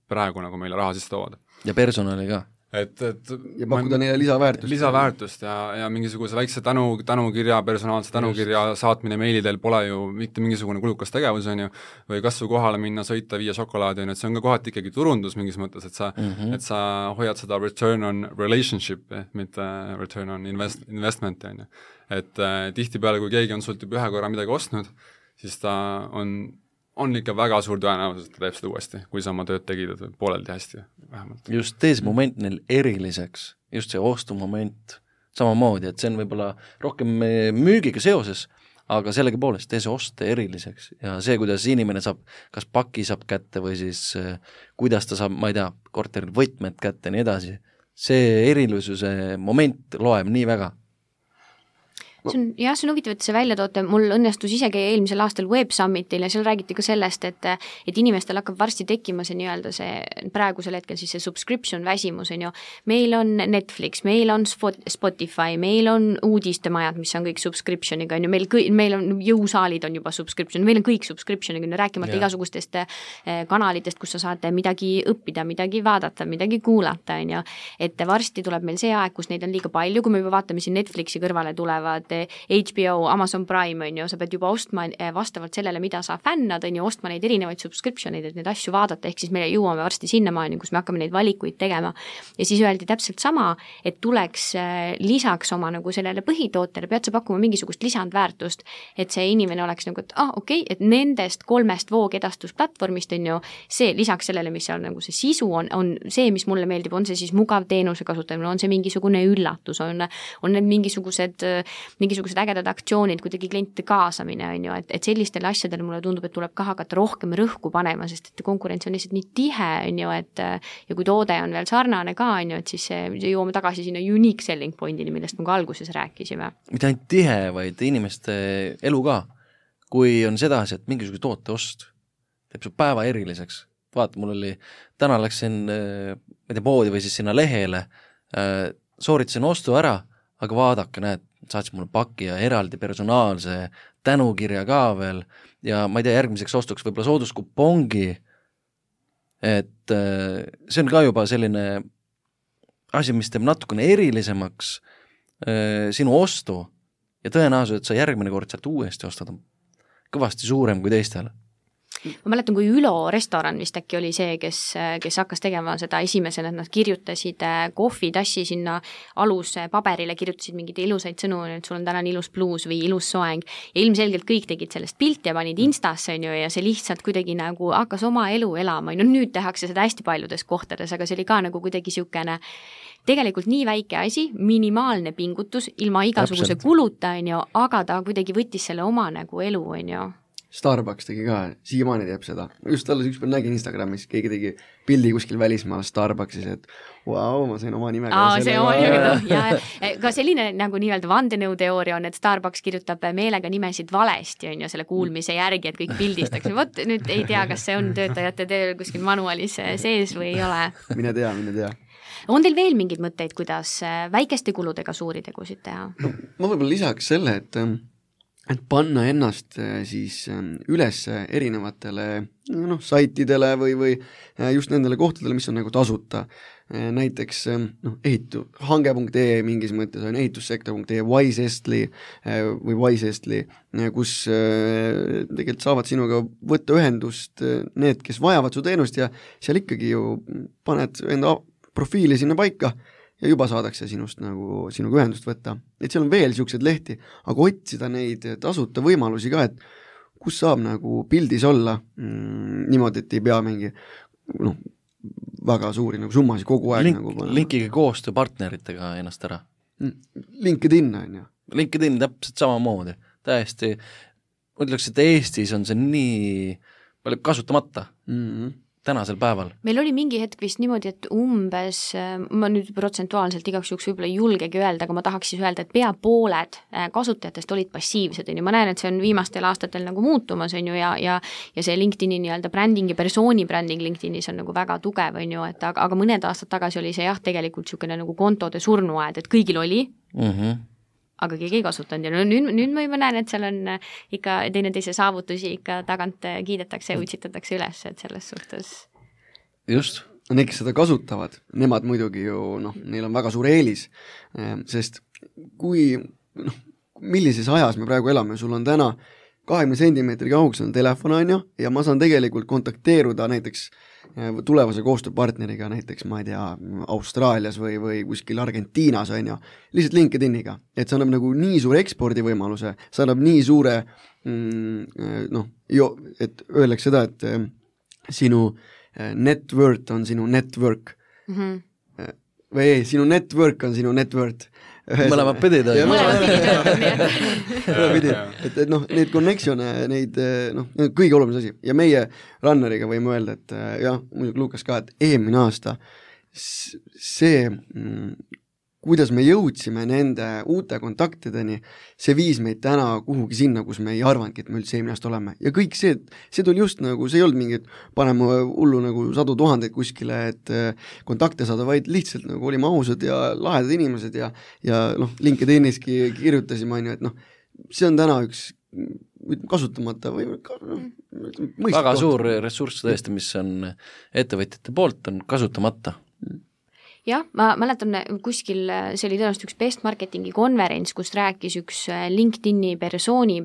E: praegu nagu meile raha sisse toovad.
C: Ja personali ka.
E: Ja
D: pakkuda neile lisaväärtust.
E: Lisaväärtust ja mingisuguse väikse tänukirja, personaalse tänukirja saatmine meilidel pole ju mitte mingisugune kulukas tegevus, on ju, või kasvu kohale minna, sõita, viia šokolaadi, on, et see on ka kohati ikkagi turundus mingis mõttes, et sa hoiad seda return on relationship, mitte return on investment, on ju. Et tihtipeale, kui keegi on sult juba ühe korra midagi ostnud, siis ta on ikka väga suur tõenäosus, et ta teeb seda uuesti, kui sa oma tööd tegid, et pooleldi hästi vähemalt.
C: Just tee see moment neil eriliseks, just see ostumoment samamoodi, et see on võib-olla rohkem müügiga seoses, aga sellegi poolest tee see oste eriliseks ja see, kuidas inimene saab, kas paki saab kätte või siis kuidas ta saab, ma ei tea, korterid võtmed kätte ja nii edasi, see erilisuse moment loeb nii väga.
B: See on huvitav, et see välja toote, mul õnnestus isegi eelmisel aastal Web Summitil ja seal räägiti ka sellest, et inimestel hakkab varsti tekkima see nii-öelda see praegusel hetkel siis see subscription väsimus, on ju. Meil on Netflix, meil on Spotify, meil on uudistemajad, mis on kõik subscriptioniga, on ju, meil on jõusaalid on juba subscription, meil on kõik subscriptioniga, rääkimata igasugustest kanalitest, kus sa saad midagi õppida, midagi vaadata, midagi kuulata, on ju. Et varsti tuleb meil see aeg, kus neid on liiga palju, kui me juba vaatame siin Netflixi kõrvale tulevad HBO, Amazon Prime, on ju, sa pead juba ostma vastavalt sellele, mida sa fännad, on ju, ostma neid erinevaid subscriptioneid, et neid asju vaadata, ehk siis me jõuame varsti sinnamaani, kus me hakkame neid valikuid tegema. Ja siis öeldi täpselt sama, et tuleks lisaks oma nagu sellele põhitootele, pead sa pakkuma mingisugust lisandväärtust, et see inimene oleks nagu, et okei, et nendest 3 voogedastusplatvormist on ju see lisaks sellele, mis seal nagu see sisu on see, mis mulle meeldib, on see siis mugav teenuse kasutamine, on see mingisugune üllatus, on need mingisugused ägedad aktsioonid, kuidagi klientide kaasamine, on ju, et sellistele asjadele mulle tundub, et tuleb ka hakata rohkem rõhku panema, sest et konkurents on lihtsalt nii tihe, on ju, et ja kui toode on veel sarnane ka, on ju, et siis jõuame tagasi sinna unique selling pointini, millest me ka alguses rääkisime.
C: Mitte ainult tihe, vaid inimeste elu ka. Kui on sedasi, et mingisuguse toote ost teeb su päeva eriliseks. Vaata, mul oli, täna läksin poodi või siis sinna lehele, sooritasin ostu ära, aga vaadake, näed, saatis mulle paki ja eraldi personaalse tänukirja ka veel ja ma ei tea, järgmiseks ostuks võib-olla sooduskupongi, et see on ka juba selline asi, mis teeb natukene erilisemaks sinu ostu ja tõenäoliselt, et sa järgmine kord sealt uuesti ostad on kõvasti suurem kui teistel.
B: Ma mäletan, kui Ülo restoran vist äkki oli see, kes hakkas tegema seda esimesena, et nad kirjutasid kohvitassi sinna aluse paberile, kirjutasid mingeid ilusaid sõnu, et sul on täna ilus bluus või ilus soeng ja ilmselgelt kõik tegid sellest pilti ja panid Instasse ja see lihtsalt kuidagi nagu hakkas oma elu elama. No nüüd tehakse seda hästi paljudes kohtades, aga see oli ka nagu kuidagi siukene tegelikult nii väike asi, minimaalne pingutus, ilma igasuguse kuluta, aga ta kuidagi võttis selle oma nagu elu,
D: Starbucks tegi ka, siiamaani teeb seda. Just alles üks päev nägin Instagramis, keegi tegi pildi kuskil välismaal Starbucksis, et vau, ma sain oma nimega.
B: See oma nimega, ja ka selline nagu nii-öelda vandenõuteooria on, et Starbucks kirjutab meelega nimesid valesti, selle kuulmise järgi, et kõik pildistaks. Vot nüüd ei tea, kas see on töötajate tööl kuskil manualis sees või ei ole.
D: Mine tea.
B: On teil veel mingeid mõtteid, kuidas väikeste kuludega suuri tegusid teha?
D: No, ma võib-olla lisaks selle, et panna ennast siis üles erinevatele saitidele või just nendele kohtadele, mis on nagu tasuta. Näiteks hange.ee mingis mõttes on ehitussektor.ee, Wisestly või Wisestly, kus tegelikult saavad sinuga võtta ühendust need, kes vajavad su teenust ja seal ikkagi ju paned enda profiili sinna paika ja juba saadakse sinuga ühendust võtta. Et seal on veel siuksed lehti, aga otsida neid tasuta võimalusi ka, et kus saab nagu pildis olla niimoodi, et ei pea mingi väga suuri nagu summasid kogu aeg
C: linkige koostööpartneritega ennast ära.
D: LinkedIn on ju.
C: LinkedIn täpselt samamoodi. Täiesti, ütleks, et Eestis on see nii palju kasutamata. Tänasel päeval.
B: Meil oli mingi hetk vist niimoodi, et umbes, ma nüüd protsentuaalselt igaks juhuks võib-olla ei julgegi öelda, aga ma tahaks siis öelda, et pea pooled kasutajatest olid passiivsed. Ma näen, et see on viimastel aastatel nagu muutumas ja see LinkedIni nii-öelda bränding ja persooni bränding LinkedInis on nagu väga tugev, aga mõned aastad tagasi oli see tegelikult niisugune nagu kontode surnuaed, et kõigil oli, aga keegi ei kasutanud ja nüüd ma juba näen, et seal on ikka teineteise saavutusi ikka tagant kiidetakse ja utsitatakse üles, et selles suhtes.
C: Just.
D: Need, kes seda kasutavad, nemad muidugi ju, neil on väga suur eelis, sest millises ajas me praegu elame, sul on täna 20 sentimeetri kaugus on telefon ja ma saan tegelikult kontakteeruda näiteks tulevase koostööpartneriga näiteks, ma ei tea, Austraalias või kuskil Argentiinas lihtsalt LinkedIniga, et see annab nagu nii suure ekspordivõimaluse, see annab nii suure et öeldakse seda, et sinu net worth on sinu network või ei, sinu network on sinu net worth.
C: Mõlemad pidid on.
D: et neid connection'e, neid kõige oluline asi ja meie runneriga võime öelda, et muidugi Lukas ka, et eelmine aasta see, kuidas me jõudsime nende uute kontaktideni, see viis meid täna kuhugi sinna, kus me ei arvanudki, et me üldse eelmine aasta oleme ja kõik see tuli just nagu, see ei olnud mingit panema hullu nagu 100 000 kuskile, et kontakte saada, vaid lihtsalt nagu olime ausad ja lahedad inimesed ja LinkedIniski kirjutasime, et see on täna üks kasutamata või
C: väga suur ressurss tõesti, mis on ettevõtjate poolt, on kasutamata.
B: Jah, ma mäletan kuskil, see oli tõenäoliselt üks best marketingi konverents, kus rääkis üks LinkedIni persooni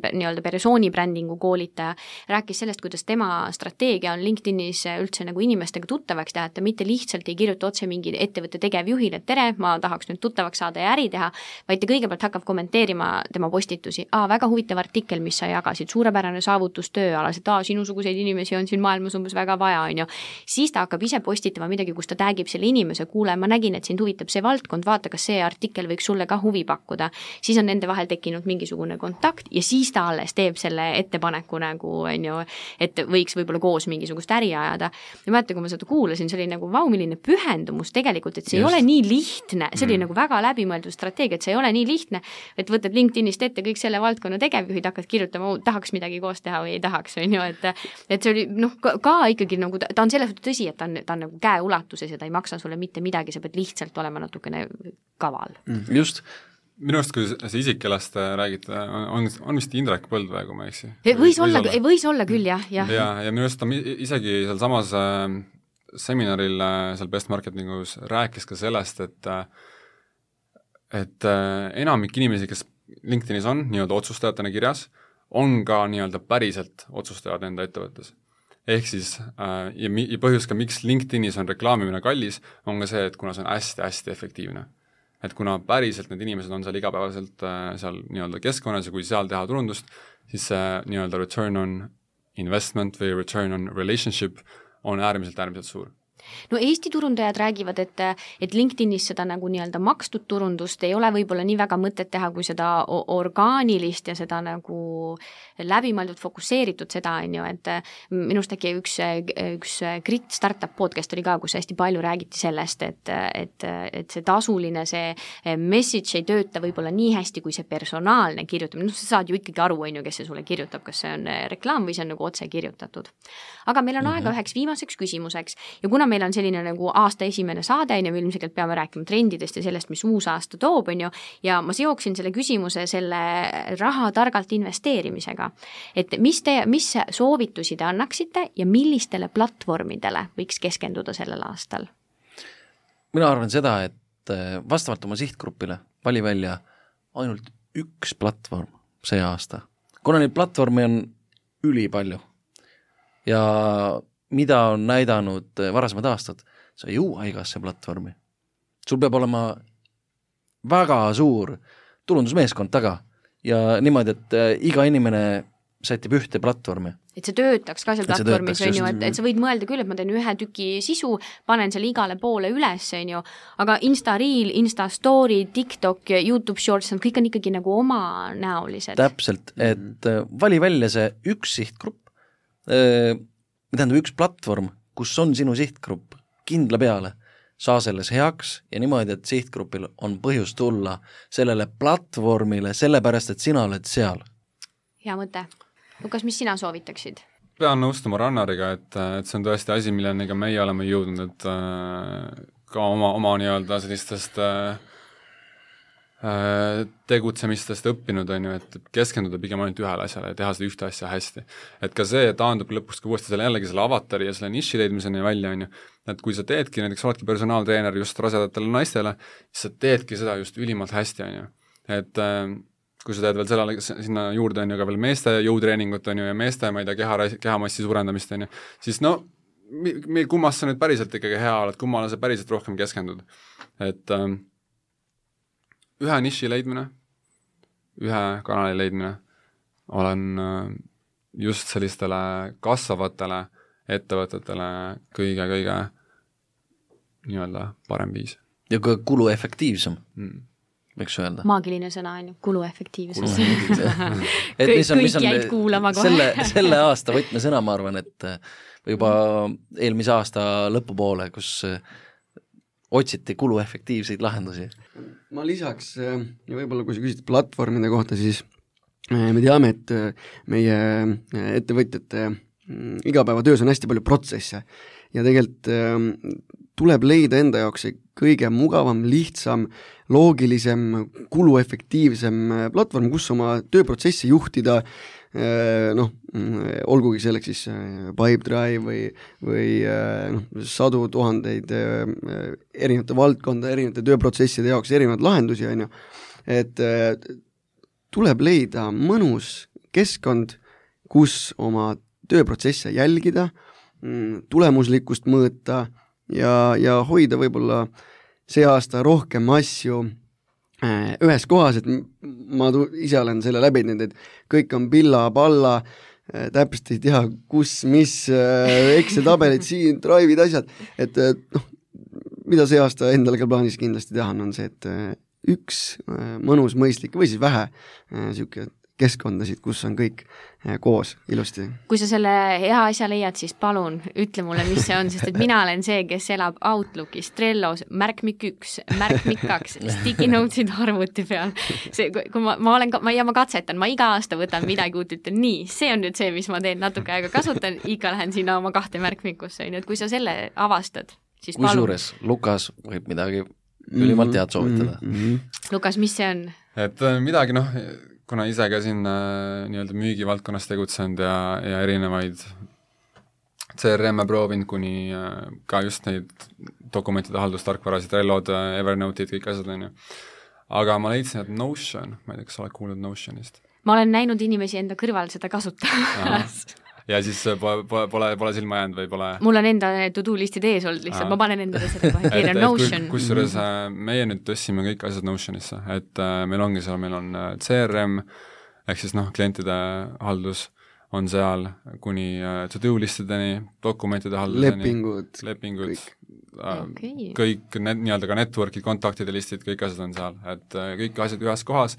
B: brändingu koolitaja, rääkis sellest, kuidas tema strateegia on LinkedInis üldse nagu inimestega tuttavaks teha, et ta mitte lihtsalt ei kirjuta otse mingi ettevõtte tegevjuhile, et tere, ma tahaks nüüd tuttavaks saada ja äri teha, vaid ta kõigepealt hakkab kommenteerima tema postitusi. Väga huvitav artikkel, mis sa jagasid, suurepärane saavutus tööalas, et sinusuguseid inimesi on siin maailmas umbes väga vaja, Siis ta hakkab ise postitama midagi, kus ta tagib selle inimese, kuule, ma nägin, et sind huvitab see valdkond, vaata, kas see artikkel võiks sulle ka huvi pakkuda. Siis on nende vahel tekkinud mingisugune kontakt ja siis ta alles teeb selle ettepaneku nagu, et võiks võib-olla koos mingisugust äri ajada. Ja mäletan, kui ma seda kuulasin, see oli nagu milline pühendumus tegelikult, et see ei ole nii lihtne, see oli nagu väga läbimõeldud strateegia, et see ei ole nii lihtne, et võtad LinkedInist ette kõik selle valdkonna tegevjuhid, hakkad kirjutama, tahaks midagi koos teha või ei tahaks, et see oli ka ikkagi nagu, ta on selles tõsi, et ta on nagu käeulatuses ja ta ei maksa sulle mitte midagi, sa pead lihtsalt olema natukene kaval.
C: Just,
E: minu arust, kui see isik, kellest räägite, on vist Indrek Põldvee, kui ma eksi.
B: Võis olla küll, jah.
E: Ja minu arust ta isegi seal samas seminaril seal Best Marketingus rääkis ka sellest, et enamik inimesi, kes LinkedInis on nii-öelda otsustajatena kirjas, on ka nii-öelda päriselt otsustajad enda ettevõttes. Ehk siis, ja põhjus ka, miks LinkedInis on reklaamimine kallis, on ka see, et kuna see on hästi-hästi efektiivne. Et kuna päriselt need inimesed on seal igapäevaselt seal nii-öelda keskkonnas ja kui seal teha turundust, siis see nii-öelda return on investment või return on relationship on äärmiselt suur.
B: No Eesti turundajad räägivad, et LinkedInis seda nagu nii-öelda makstud turundust ei ole võib-olla nii väga mõtet teha, kui seda orgaanilist ja seda nagu läbimõeldud fokusseeritud seda, et minust äkki üks Grit Startup podcast oli ka, kus hästi palju räägiti sellest, et see tasuline, see message ei tööta võib-olla nii hästi, kui see personaalne kirjutamine. Sa saad ju ikkagi aru, kes see sulle kirjutab, kas see on reklaam või see on nagu otse kirjutatud. Aga meil on aega üheks viimaseks küsimuseks ja kuna meil on selline nagu aasta esimene saade, me ilmselt peame rääkima trendidest ja sellest, mis uus aasta toob, ja ma seoksin selle küsimuse selle raha targalt investeerimisega. Et mis soovitusi te annaksite ja millistele platvormidele võiks keskenduda sellel aastal?
C: Mina arvan seda, et vastavalt oma sihtgrupile vali välja ainult üks platvorm see aasta. Kuna neid platvormi on ülipalju ja mida on näidanud varasemad aastad, sa ei jõua igasse platvormi. Sul peab olema väga suur turundusmeeskond taga ja niimoodi, et iga inimene sätib ühte platvormi.
B: Et see töötaks ka seal platvormis, et sa võid mõelda küll, et ma teen ühe tüki sisu, panen seal igale poole üles, aga Insta Reel, Insta Story, TikTok, YouTube Shorts, kõik on ikkagi nagu oma näolised.
C: Täpselt, et vali välja see üks sihtgrupp, tähendab üks platvorm, kus on sinu sihtgrupp kindla peale, saa selles heaks ja niimoodi, et sihtgrupil on põhjus tulla sellele platvormile, sellepärast, et sina oled seal.
B: Hea mõte. Lukas, mis sina soovitaksid?
E: Pean nõustuma Rannariga, et see on tõesti asi, milleni ka meie oleme jõudnud, et ka oma nii-öelda sellistest tegutsemistest õppinud, et keskenduda pigem ainult ühele asjale ja teha seda ühte asja hästi. Et ka see taandub lõpuks ka uuesti jällegi selle avatari ja selle niši leidmiseni välja, et kui sa teedki, näiteks oledki personaaltreener just rasedatele naistele, siis sa teedki seda just ülimalt hästi, et kui sa teed veel sinna juurde ka veel meeste jõutreeningut ja meeste, ma ei tea, kehamassi suurendamist, siis kummast sa nüüd päriselt ikkagi hea oled, kummale sa päriselt rohkem keskendud. Et ühe niši leidmine, ühe kanali leidmine olen just sellistele kasvavatele ettevõtetele kõige nii-öelda parem viis.
C: Ja ka kuluefektiivsem, võiks öelda.
B: Maagiline sõna on ju, kuluefektiivsus.
C: Kõik
B: jäid kuulama kohe.
C: Selle aasta võtmesõna, ma arvan, et juba eelmise aasta lõpupoole, kus otsiti kuluefektiivseid lahendusi.
D: Ma lisaks, ja võib-olla kui sa küsid platvormide kohta, siis me teame, et meie ettevõtjate igapäevatöös on hästi palju protsesse ja tegelikult tuleb leida enda jaoks see kõige mugavam, lihtsam, loogilisem, kuluefektiivsem platvorm, kus oma tööprotsessi juhtida, olgugi selleks siis Pipedrive või sadu tuhandeid erinevate valdkonda, erinevate tööprotsesside jaoks erinevad lahendusi, et tuleb leida mõnus keskkond, kus oma tööprotsesse jälgida, tulemuslikkust mõõta ja hoida võib-olla see aasta rohkem asju ühes kohas, et ma ise olen selle läbinud, et kõik on pilla-palla, täpselt ei tea, kus, mis, Excel-tabelid siin, Drive'id, asjad, et mida see aasta endal ka plaanis kindlasti teha on see, et üks mõnus, mõistlik või siis vähe siuke keskkondasid, kus on kõik koos ilusti.
B: Kui sa selle hea asja leiad, siis palun ütle mulle, mis see on, sest et mina olen see, kes elab Outlookis, Trellos, märkmik 1, märkmik 2, sticky notes'id arvuti peal. See, kui ma katsetan, ma iga aasta võtan midagi uut, ütlen nii, see on nüüd see, mis ma teen natuke aega kasutan, ikka lähen sinna oma 2 märkmikusse, et kui sa selle avastad, siis palun.
C: Kusjuures Lukas võib midagi ülimalt head soovitada.
B: Lukas, mis see on?
E: et midagi kuna ise ka siin nii-öelda müügivaldkonnas tegutsenud ja erinevaid CRM-e proovinud kuni ka just neid dokumentide haldustarkvarasid, Trellod, Evernote'id, kõik asjad on ju. Aga ma leidsin, et Notion, ma ei tea, kas sa oled kuulnud Notionist?
B: Ma olen näinud inimesi enda kõrval seda kasutamas.
E: Ja siis pole silma jäänud või pole?
B: Mul on enda to-do listid ees olnud lihtsalt, ma panen endale seda kohe kirja Notion.
E: Kusjuures meie nüüd tõstsime kõik asjad Notionisse, et meil ongi seal, meil on CRM, ehk siis klientide haldus on seal kuni to-do listideni, dokumentide halduseni, lepingud kõik nii-öelda ka network'id, kontaktide listid, kõik asjad on seal, et kõik asjad ühes kohas,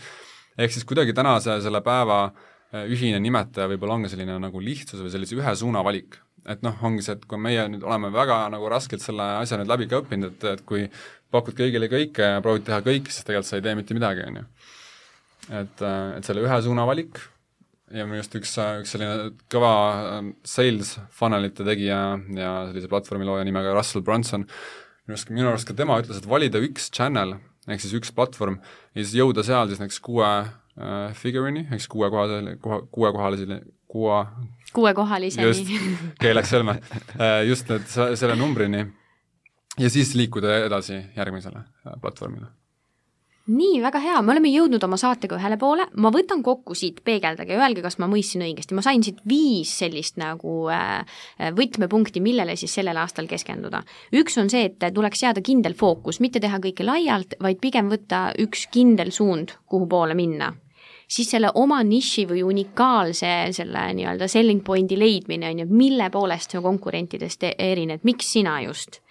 E: ehk siis kuidagi tänase selle päeva ühine nimetaja võib-olla ongi selline nagu lihtsus või sellise ühe suuna valik. Et ongi see, et kui meie nüüd oleme väga nagu raskelt selle asja nüüd läbi ka õppinud, et kui pakud kõigile kõike ja proovid teha kõike, siis tegelikult sa ei tee mitte midagi, on ju. Et selle ühe suuna valik ja minu just üks selline kõva sales funnelite tegija ja sellise platvormi looja nimega Russell Brunson, minu arust ka tema ütles, et valida üks channel, ehk siis üks platvorm ja siis jõuda seal siis näiteks 6 figure'ini, eks 6-kohaliseni, just, keeleks selme, just selle numbrini ja siis liikuda edasi järgmisele platvormile.
B: Nii, väga hea, me oleme jõudnud oma saatega ühele poole, ma võtan kokku siit, peegeldage ja öelge, kas ma mõistsin õigesti, ma sain siit 5 sellist nagu võtmepunkti, millele siis sellel aastal keskenduda. Üks on see, et tuleks seada kindel fookus, mitte teha kõike laialt, vaid pigem võtta üks kindel suund, kuhu poole minna. Siis selle oma niši või unikaalse selle nii-öelda selling pointi leidmine on ju, mille poolest see konkurentidest erined, miks sina just?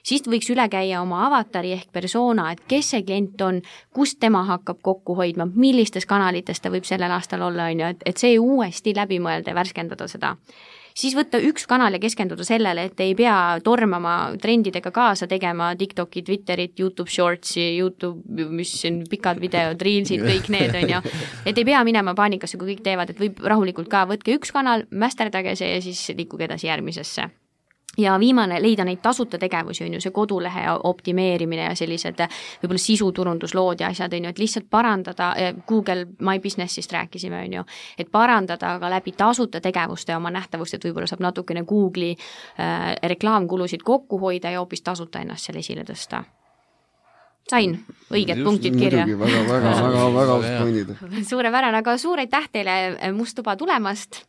B: Siis võiks üle käia oma avatari ehk persona, et kes see klient on, kust tema hakkab kokku hoidma, millistes kanalites ta võib sellel aastal olla, on ju, et see uuesti läbi mõelda ja värskendada seda. Siis võtta üks kanal ja keskenduda sellele, et ei pea tormama trendidega kaasa tegema TikToki, Twitterit, YouTube Shortsi, YouTube, mis on pikad videod, Reelsid, kõik need on ju. Et ei pea minema paanikasse, kui kõik teevad, et võib rahulikult ka võtke üks kanal, mästerdage see ja siis liikuge edasi järgmisesse. Ja viimane, leida neid tasuta tegevusi, on ju, see kodulehe optimeerimine ja sellised võib-olla sisuturunduslood ja asjad, on ju, et lihtsalt parandada, Google My Businessist rääkisime, on ju, et parandada ka läbi tasuta tegevuste oma nähtavust, et võib-olla saab natukene Google'i reklaamkulusid kokku hoida ja hoopis tasuta ennast seal esile tõsta. Sain õiged punktid kirja.
D: Väga pointid.
B: Suurepärane, aga suur aitäh teile Must tuba tulemast.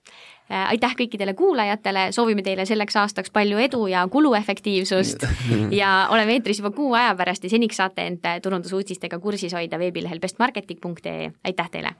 B: Aitäh kõikidele kuulajatele, soovime teile selleks aastaks palju edu ja kuluefektiivsust ja oleme eetris juba 6 aja pärast ja seniks saate end turundusuudistega kursis hoida veebilehel bestmarketing.ee. Aitäh teile!